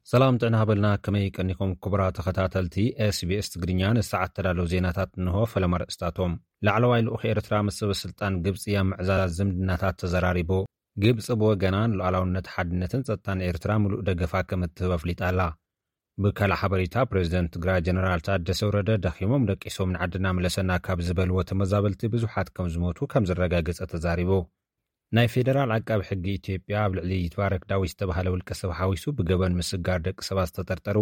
ሰላም ጥዕና ሃበልና፣ ከመይ ቀኒኹም ክቡራት ተኸታተልቲ ኤስቢኤስ ትግርኛ? ንሰዓት ተዳለዉ ዜናታት እንሆ። ፈለማ ርእስታቶም። ላዕለዋይ ልኡኽ ኤርትራ ምስ ሰበ ስልጣን ግብጺ ኣብ ምዕዛዝ ዝምድናታት ተዘራሪቡ። ግብጺ ብወገና ንሉዓላውነት፣ ሓድነትን ጸጥታን ኤርትራ ምሉእ ደገፋ ከም እትህብ ኣፍሊጣ ኣላ። ብካልእ ሓበሬታ፣ ፕሬዚደንት ትግራይ ጀነራል ታደሰ ወረደ ደኺሞም ደቂሶም ንዓድና ምለሰና ካብ ዝበልዎ ተመዛበልቲ ብዙሓት ከም ዝሞቱ ከም ዘረጋገጸ ተዛሪቡ። ናይ ፌደራል ዓቃቢ ሕጊ ኢትዮጵያ ኣብ ልዕሊ ይትባረክ ዳዊት ዝተባህለ ውልቀ ሰብ ሓዊሱ ብገበን ምስጋር ደቂ ሰባት ዝተጠርጠሩ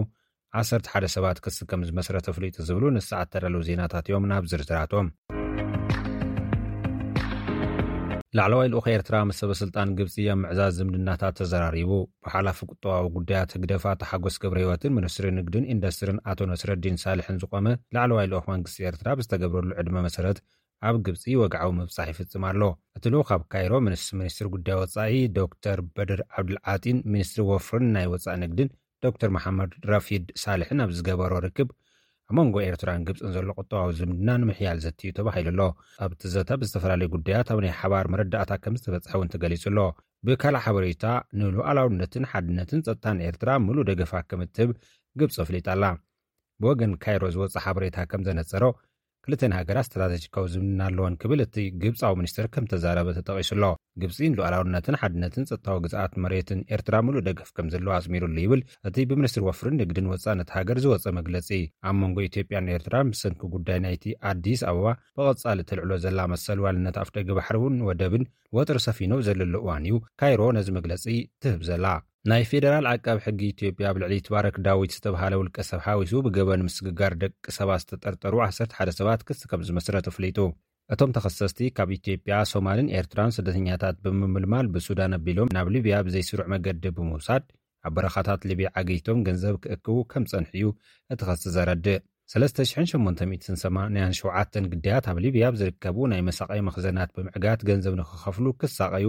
ዓሰርተ ሓደ ሰባት ክሲ ከም ዝመስረተ ኣፍሊጡ ዝብሉ ንሰዓት ተዳለዉ ዜናታት እዮም። ናብ ዝርዝራቶም። ላዕለዋይ ልኡኽ ኤርትራ ምስ ሰበ ስልጣን ግብጺ ኣብ ምዕዛዝ ዝምድናታት ተዘራሪቡ። ብሓላፊ ቁጠባዊ ጉዳያት ህግደፍ ኣቶ ሓጎስ ገብረ ህይወትን ሚኒስትሪ ንግድን ኢንዱስትሪን ኣቶ ነስረዲን ሳልሕን ዝቖመ ላዕለዋይ ልኡኽ መንግስቲ ኤርትራ ብዝተገብረሉ ዕድመ መሰረት ኣብ ግብጺ ወግዓዊ ምብጻሕ ይፍጽም ኣሎ። እቲ ልኡኽ ኣብ ካይሮ ምስ ሚኒስትሪ ጉዳይ ወጻኢ ዶክተር በድር ዓብዱልዓጢን ሚኒስትሪ ወፍርን ናይ ወጻኢ ንግድን ዶክተር መሓመድ ራፊድ ሳልሕን ኣብ ዝገበሮ ርክብ ኣብ መንጎ ኤርትራን ግብጽን ዘሎ ቁጠባዊ ዝምድና ንምሕያል ዘትዩ ተባሂሉ ኣሎ። ኣብቲ ዘተ ብዝተፈላለዩ ጉዳያት ኣብ ናይ ሓባር መረዳእታ ከም ዝተበጽሐ እውን ተገሊጹ ኣሎ። ብካልእ ሓበሬታ ንሉዓላውነትን ሓድነትን ጸጥታን ኤርትራ ምሉእ ደገፋ ከም እትህብ ግብጺ ኣፍሊጣ ኣላ። ብወገን ካይሮ ዝወጸ ሓበሬታ ከም ዘነጸሮ ክልተን ሃገራት ስትራተጂካዊ ዝምድና ኣለወን ክብል እቲ ግብጻዊ ሚኒስትር ከም ተዛረበ ተጠቒሱ ኣሎ። ግብጺ ንሉዓላውነትን ሓድነትን ጸጥታዊ ግዝኣት መሬትን ኤርትራ ምሉእ ደገፍ ከም ዘለዎ ኣስሚሩሉ ይብል እቲ ብሚኒስትሪ ወፍርን ንግድን ወጻኢ ነቲ ሃገር ዝወጸ መግለጺ። ኣብ መንጎ ኢትዮጵያን ኤርትራን ብሰንኪ ጉዳይ ናይቲ ኣዲስ ኣበባ ብቐጻሊ ተልዕሎ ዘላ መሰል ዋልነት ኣፍደገ ባሕሪ እውን ወደብን ወጥሪ ሰፊኑ ኣብ ዘለሉ እዋን እዩ ካይሮ ነዚ መግለጺ ትህብ ዘላ። ናይ ፌደራል ዓቃቢ ሕጊ ኢትዮጵያ ኣብ ልዕሊ ይትባረክ ዳዊት ዝተባህለ ውልቀ ሰብ ሓዊሱ ብገበን ምስግጋር ደቂ ሰባት ዝተጠርጠሩ ዓሰርተ ሓደ ሰባት ክሲ ከም ዝመስረተ ኣፍሊጡ። እቶም ተኸሰስቲ ካብ ኢትዮጵያ፣ ሶማልን ኤርትራን ስደተኛታት ብምምልማል ብሱዳን ኣቢሎም ናብ ሊብያ ብዘይስሩዕ መገዲ ብምውሳድ ኣብ በረኻታት ሊብያ ዓጊቶም ገንዘብ ክእክቡ ከም ጸንሑ እዩ እቲ ክሲ ዘረድእ። ሰለስተ ሽሕን ሸሞንተ ሚእትን ሰማንያን ሸውዓተን ግዳያት ኣብ ሊብያ ኣብ ዝርከቡ ናይ መሳቐዪ መኽዘናት ብምዕጋት ገንዘብ ንኽኸፍሉ ክሳቐዩ፣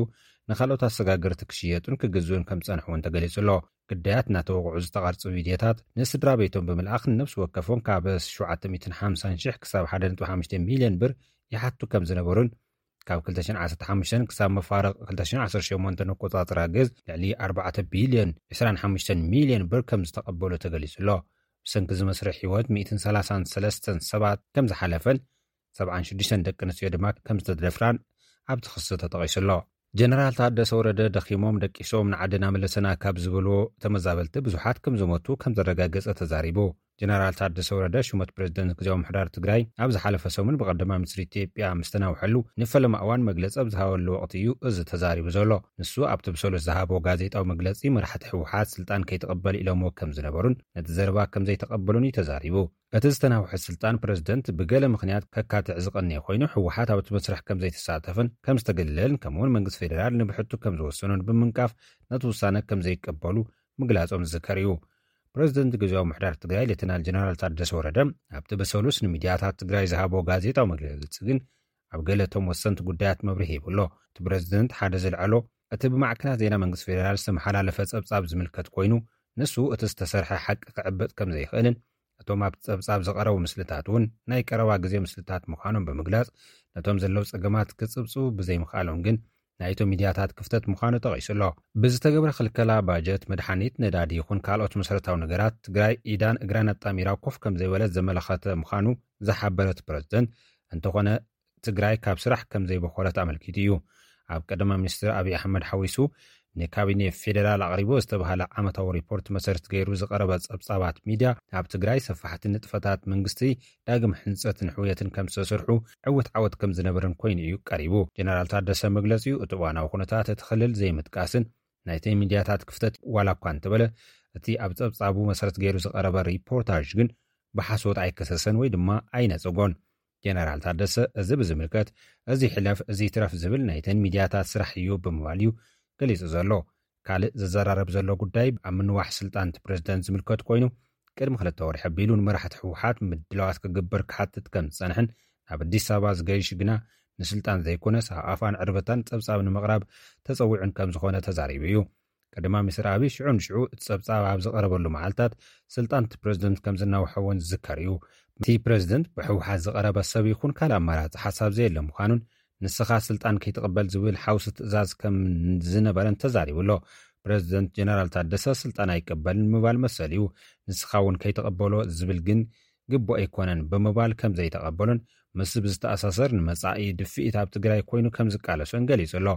ንኻልኦት ኣሰጋገርቲ ክሽየጡን ክግዝኡን ከም ዝጸንሑ እውን ተገሊጹ ኣሎ። ግዳያት እናተወቕዑ ዝተቐርጹ ቪድዮታት ንስድራ ቤቶም ብምልኣኽ ንነፍሲ ወከፎም ካብ ሸውዓተ ሚእትን ሓምሳን ሽሕ ክሳብ ሓደ ነጥቢ ሓሙሽተ ሚልዮን ብር ይሓቱ ከም ዝነበሩን ካብ ክልተ ሽሕን ዓሰርተ ሓሙሽተን ክሳብ መፋርቕ ክልተ ሽሕን ዓሰርተ ሸሞንተን ኣቆጻጽራ ግዝ ልዕሊ ኣርባዕተ ቢልዮን ዕስራን ሓሙሽተን ሚልዮን ብር ከም ዝተቐበሉ ተገሊጹ ኣሎ። ብሰንኪ እዚ መስርሕ ህይወት ሚእትን ሰላሳን ሰለስተን ሰባት ከም ዝሓለፈን ሰብዓን ሽዱሽተን ደቂ ኣንስትዮ ድማ ከም ዝተደፍራን ኣብቲ ክሲ ተጠቒሱ ኣሎ። ጀነራል ታደሰ ወረደ ደኺሞም ደቂሶም ንዓድና መለሰና ካብ ዝበልዎ ተመዛበልቲ ብዙሓት ከም ዝሞቱ ከም ዘረጋገጸ ተዛሪቡ። ጀነራል ታደሰ ወረደ ሹመት ፕሬዚደንት ግዝያዊ ምሕዳር ትግራይ ኣብ ዝሓለፈ ሰሙን ብቀዳማይ ሚኒስትሪ ኢትዮጵያ ምስ ተናውሐሉ ንፈለማ እዋን መግለጺ ኣብ ዝሃበሉ ወቕቲ እዩ እዚ ተዛሪቡ ዘሎ። ንሱ ኣብቲ ብሰሉስ ዝሃቦ ጋዜጣዊ መግለጺ መራሕቲ ህወሓት ስልጣን ከይተቐበል ኢሎምዎ ከም ዝነበሩን ነቲ ዘረባ ከም ዘይተቐበሉን እዩ ተዛሪቡ። እቲ ዝተናውሐ ስልጣን ፕሬዚደንት ብገለ ምኽንያት ከካትዕ ዝቐነየ ኮይኑ፣ ህወሓት ኣብቲ መስርሕ ከም ዘይተሳተፈን ከም ዝተገለለን፣ ከምኡ እውን መንግስቲ ፌደራል ንብሕቱ ከም ዝወሰኖን ብምንቃፍ ነቲ ውሳነ ከም ዘይቀበሉ ምግላጾም ዝዝከር እዩ። ፕሬዚደንት ግዝያዊ ምሕዳር ትግራይ ሌተናል ጀነራል ታደሰ ወረደ ኣብቲ በሰሉስ ንሚድያታት ትግራይ ዝሃቦ ጋዜጣዊ መግለጺ ግን ኣብ ገለ እቶም ወሰንቲ ጉዳያት መብርሂ ሂቡ ኣሎ። እቲ ፕሬዚደንት ሓደ ዘልዐሎ እቲ ብማዕከናት ዜና መንግስቲ ፌደራል ዝተመሓላለፈ ጸብጻብ ዝምልከት ኮይኑ፣ ንሱ እቲ ዝተሰርሐ ሓቂ ክዕበጥ ከም ዘይኽእልን እቶም ኣብቲ ጸብጻብ ዝቐረቡ ምስልታት እውን ናይ ቀረባ ግዜ ምስልታት ምዃኖም ብምግላጽ፣ ነቶም ዘለዉ ጸገማት ክጽብጽቡ ብዘይምኽኣሎም ግን ናይቶም ሚድያታት ክፍተት ምዃኑ ጠቒሱ ኣሎ። ብዝተገብረ ክልከላ ባጀት፣ መድሓኒት፣ ነዳዲ ይኹን ካልኦት መሰረታዊ ነገራት ትግራይ ኢዳን እግራን ኣጣሚራ ኮፍ ከም ዘይበለት ዘመላኸተ ምዃኑ ዝሓበረ እቲ ፕረዚደንት፣ እንተኾነ ትግራይ ካብ ስራሕ ከም ዘይበኾረት ኣመልኪቱ እዩ። ኣብ ቀዳማይ ሚኒስትር ኣብይ ኣሕመድ ሓዊሱ ንካቢኔ ፌዴራል ኣቕሪቦ ዝተባህለ ዓመታዊ ሪፖርት መሰረት ገይሩ ዝቐረበ ጸብጻባት ሚድያ፣ ኣብ ትግራይ ሰፋሕቲ ንጥፈታት መንግስቲ ዳግም ሕንጸትን ሕውየትን ከም ዝተሰርሑ ዕውት ዓወት ከም ዝነበረን ኮይኑ እዩ ቀሪቡ። ጀነራል ታደሰ መግለጺኡ እቲ እዋናዊ ኩነታት እቲ ክልል ዘይምጥቃስን ናይተን ሚድያታት ክፍተት ዋላ እኳ እንተበለ፣ እቲ ኣብ ጸብጻቡ መሰረት ገይሩ ዝቐረበ ሪፖርታጅ ግን ብሓሶት ኣይከሰሰን ወይ ድማ ኣይነጸጎን። ጀነራል ታደሰ እዚ ብዝምልከት፣ እዚ ሕለፍ እዚ ትረፍ ዝብል ናይተን ሚድያታት ስራሕ እዩ ብምባል እዩ ገሊጹ ዘሎ። ካልእ ዝዘራረብ ዘሎ ጉዳይ ኣብ ምንዋሕ ስልጣን እቲ ፕሬዚደንት ዝምልከት ኮይኑ፣ ቅድሚ ክልተ ወርሒ ኣቢሉ ንመራሕቲ ህወሓት ምድላዋት ክግበር ክሓትት ከም ዝጸንሐን፣ ናብ ኣዲስ ኣበባ ዝገይሽ ግና ንስልጣን ዘይኮነስ ኣብ ኣፋን ዕርበታን ጸብጻብ ንምቕራብ ተጸዊዑን ከም ዝኾነ ተዛሪቡ እዩ። ቀዳማይ ሚኒስትር ኣብይ ሽዑ ንሽዑ እቲ ጸብጻብ ኣብ ዝቐረበሉ መዓልታት ስልጣን እቲ ፕሬዚደንት ከም ዝናውሐ እውን ዝዝከር እዩ። እቲ ፕሬዚደንት ብህወሓት ዝቐረበ ሰብ ይኹን ካልእ ኣማራጺ ሓሳብ ዘየለ ምዃኑን ንስኻ ስልጣን ከይትቕበል ዝብል ሓውሲ ትእዛዝ ከም ዝነበረን ተዛሪቡ ኣሎ። ፕረዚደንት ጀነራል ታደሰ ስልጣን ኣይቀበልን ምባል መሰል እዩ። ንስኻ እውን ከይተቐበሎ ዝብል ግን ግቡእ ኣይኮነን ብምባል ከም ዘይተቐበሉን ምስ ብዝተኣሳሰር ንመጻኢ ድፍኢት ኣብ ትግራይ ኮይኑ ከም ዝቃለሶን ገሊጹ ኣሎ።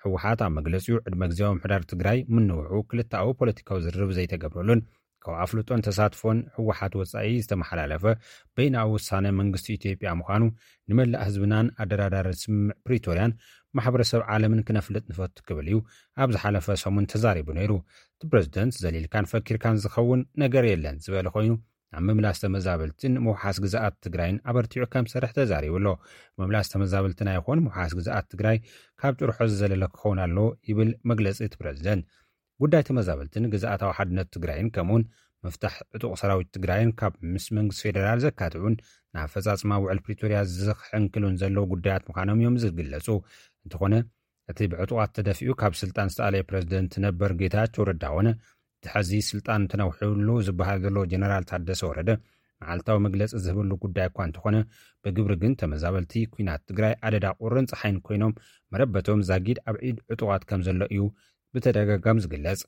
ህወሓት ኣብ መግለጺኡ ዕድመ ግዜያዊ ምሕዳር ትግራይ ምንውሑ ክልተኣዊ ፖለቲካዊ ዝርርብ ዘይተገብረሉን ካብ ኣፍልጦን ተሳትፎን ህወሓት ወጻኢ ዝተመሓላለፈ በይናዊ ውሳነ መንግስቲ ኢትዮጵያ ምዃኑ ንመላእ ህዝብናን ኣደራዳሪ ስምምዕ ፕሪቶርያን ማሕበረሰብ ዓለምን ክነፍልጥ ንፈቱ ክብል እዩ ኣብ ዝሓለፈ ሰሙን ተዛሪቡ ነይሩ። እቲ ፕረዚደንት ዘሊልካን ፈኪርካን ዝኸውን ነገር የለን ዝበለ ኮይኑ ኣብ ምምላስ ተመዛበልትን ምውሓስ ግዛኣት ትግራይን ኣበርቲዑ ከም ዝሰርሕ ተዛሪቡ ኣሎ። ምምላስ ተመዛበልትና ይኹን ምውሓስ ግዛኣት ትግራይ ካብ ጭርሖ ዝዘለለ ክኸውን ኣሎ ይብል መግለጺ እቲ ፕረዚደንት። ጉዳይ ተመዛበልትን ግዛኣታዊ ሓድነት ትግራይን ከምኡውን ምፍታሕ ዕጡቕ ሰራዊት ትግራይን ካብ ምስ መንግስቲ ፌደራል ዘካትዑን ንኣፈፃፅማ ውዕል ፕሪቶርያ ዝኽሕንክሉን ዘለዉ ጉዳያት ምዃኖም እዮም ዝግለጹ። እንተኾነ እቲ ብዕጡቓት ተደፊኡ ካብ ስልጣን ዝተኣለየ ፕረዚደንት ነበር ጌታቸው ረዳ ኾነ እቲ ሕዚ ስልጣን ተነውሕሉ ዝበሃል ዘሎ ጀነራል ታደሰ ወረደ መዓልታዊ መግለፂ ዝህብሉ ጉዳይ እኳ እንተኾነ ብግብሪ ግን ተመዛበልቲ ኲናት ትግራይ ኣደዳ ቁርን ፀሓይን ኮይኖም መረበቶም ዛጊድ ኣብ ኢድ ዕጡቓት ከም ዘሎ እዩ ብተደጋጋሚ ዝግለጽ።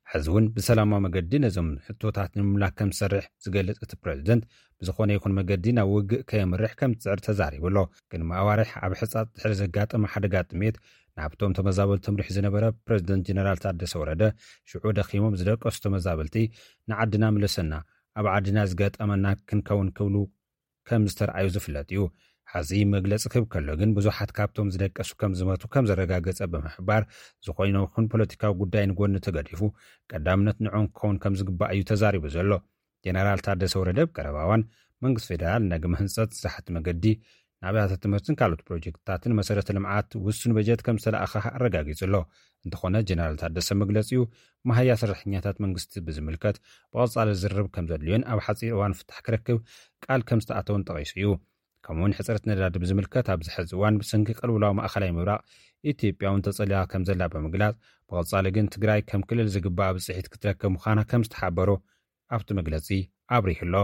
ሕዚ እውን ብሰላማዊ መገዲ ነዞም ሕቶታት ንምምላክ ከም ዝሰርሕ ዝገልጽ እቲ ፕረዚደንት ብዝኾነ ይኹን መገዲ ናብ ውግእ ከየምርሕ ከም ዝጽዕር ተዛሪቡ ኣሎ። ቅድሚ ኣዋርሕ ኣብ ሕጻጽ ድሕሪ ዘጋጠመ ሓደጋ ጥሜት ናብቶም ተመዛበልቲ ተምሪሑ ዝነበረ ፕረዚደንት ጀነራል ታደሰ ወረደ ሽዑ ደኺሞም ዝደቀሱ ተመዛበልቲ ንዓድና ምለሰና ኣብ ዓድና ዝገጠመና ክንከውን ክብሉ ከም ዝተርኣዩ ዝፍለጥ እዩ። ሐዚ መግለጺ ክህብ ከሎ ግን ብዙሓት ካብቶም ዝደቀሱ ከም ዝመቱ ከም ዘረጋገጸ ብምሕባር ዝኾይነ ይኹን ፖለቲካዊ ጉዳይ ንጎኒ ተገዲፉ ቀዳምነት ንዕኦም ክኸውን ከም ዝግባእ እዩ ተዛሪቡ ዘሎ። ጀነራል ታደሰ ወረደ ኣብ ቀረባ እዋን መንግስቲ ፌደራል ንዳግመ ህንፀት ዝሓት መገዲ ንኣብያተ ትምህርትን ካልኦት ፕሮጀክትታትን መሰረተ ልምዓት ውሱን በጀት ከም ዝተለኣኸ ኣረጋጊጹ ኣሎ። እንተኾነ ጀነራል ታደሰ መግለጺኡ መሃያ ሰራሕተኛታት መንግስቲ ብዝምልከት ብቐጻሊ ዝርርብ ከም ዘድልዮን ኣብ ሓጺር እዋን ፍታሕ ክረክብ ቃል ከም ዝተኣተውን ጠቒሱ እዩ። ከምኡውን ሕፅረት ነዳዲ ብዝምልከት ኣብዚ ሕዚ እዋን ብሰንኪ ቅልውላው ማእኸላይ ምብራቕ ኢትዮጵያ እውን ተጸሊኣ ከም ዘላ ብምግላጽ ብቐጻሊ ግን ትግራይ ከም ክልል ዝግባኣ ብፅሒት ክትረክብ ምዃና ከም ዝተሓበሩ ኣብቲ መግለጺ ኣብሪሁ ኣሎ።